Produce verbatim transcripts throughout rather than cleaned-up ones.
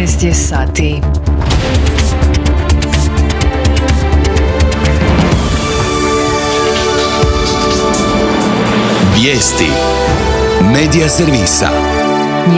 dvanaest je sati. Vijesti Medija servisa.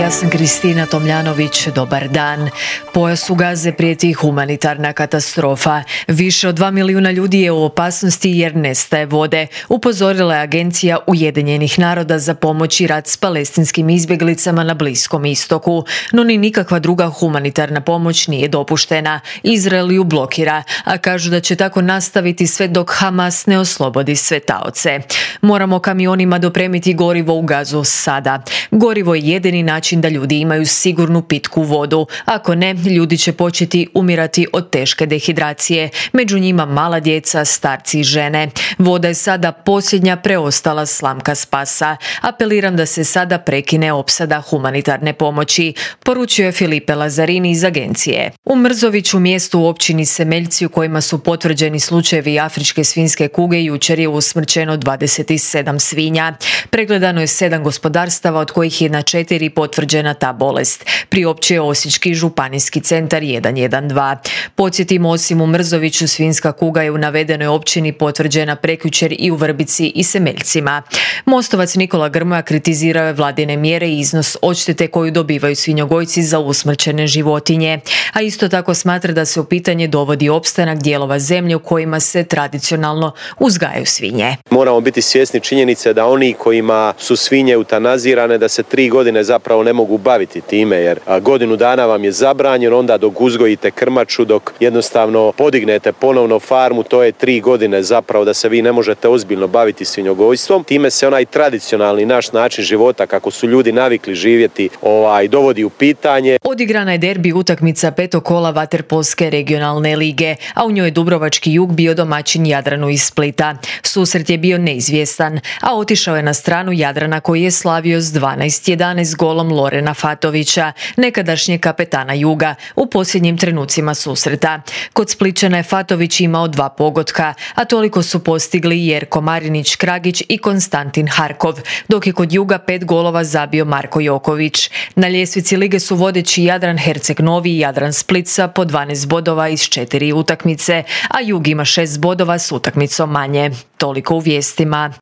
Ja sam Kristina Tomljanović, dobar dan. Pojasu Gaze prijeti humanitarna katastrofa. Više od dva milijuna ljudi je u opasnosti jer nestaje vode, upozorila je Agencija Ujedinjenih naroda za pomoć i rad s palestinskim izbjeglicama na Bliskom istoku. No ni nikakva druga humanitarna pomoć nije dopuštena. Izrael ju blokira, a kažu da će tako nastaviti sve dok Hamas ne oslobodi sve taoce. Moramo kamionima dopremiti gorivo u Gazu sada. Gorivo je jedini način da ljudi imaju sigurnu pitku vodu. Ako ne, ljudi će početi umirati od teške dehidracije. Među njima mala djeca, starci i žene. Voda je sada posljednja preostala slamka spasa. Apeliram da se sada prekine opsada humanitarne pomoći, poručio je Filipe Lazzarini iz agencije. U Mrzoviću, mjestu u općini Semeljci u kojima su potvrđeni slučajevi afričke svinjske kuge, jučer je usmrćeno dvadeset sedam svinja. Pregledano je sedam gospodarstava, od kojih je na četiri potvrđena ta bolest, priopćio je Osječki županijski centar jedan jedan dva. Podsjetimo, osim u Mrzoviću, svinjska kuga je u navedenoj općini potvrđena prekjučer i u Vrbici i Semeljcima. Mostovac Nikola Grmoja kritizirao je vladine mjere i iznos odštete koju dobivaju svinjogojci za usmrćene životinje, a isto tako smatra da se u pitanje dovodi opstanak dijelova zemlje u kojima se tradicionalno uzgajaju svinje. Moramo biti svjesni činjenice da oni kojima su svinje eutanazirane, da se tri godine zapravo ne mogu baviti time, jer godinu dana vam je zabranjeno, onda dok uzgojite krmaču, dok jednostavno podignete ponovno farmu, to je tri godine zapravo da se vi ne možete ozbiljno baviti svinjogojstvom. Time se onaj tradicionalni naš način života, kako su ljudi navikli živjeti, ovaj, dovodi u pitanje. Odigrana je derbi utakmica petog kola vaterpolske regionalne lige, a u njoj je dubrovački Jug bio domaćin Jadranu iz Splita. Susret je bio neizvjestan, a otišao je na stranu Jadrana koji je slavio s dvanaest jedanaest golom Lorena Fatovića, nekadašnjeg kapetana Juga, u posljednjim trenucima susreta. Kod Splićana je Fatović imao dva pogotka, a toliko su postigli Jerko Marinić Kragić i Konstantin Harkov, dok je kod Juga pet golova zabio Marko Joković. Na ljestvici lige su vodeći Jadran Herceg Novi i Jadran Split sa po dvanaest bodova iz četiri utakmice, a Jug ima šest bodova s utakmicom manje. Toliko u vijestima.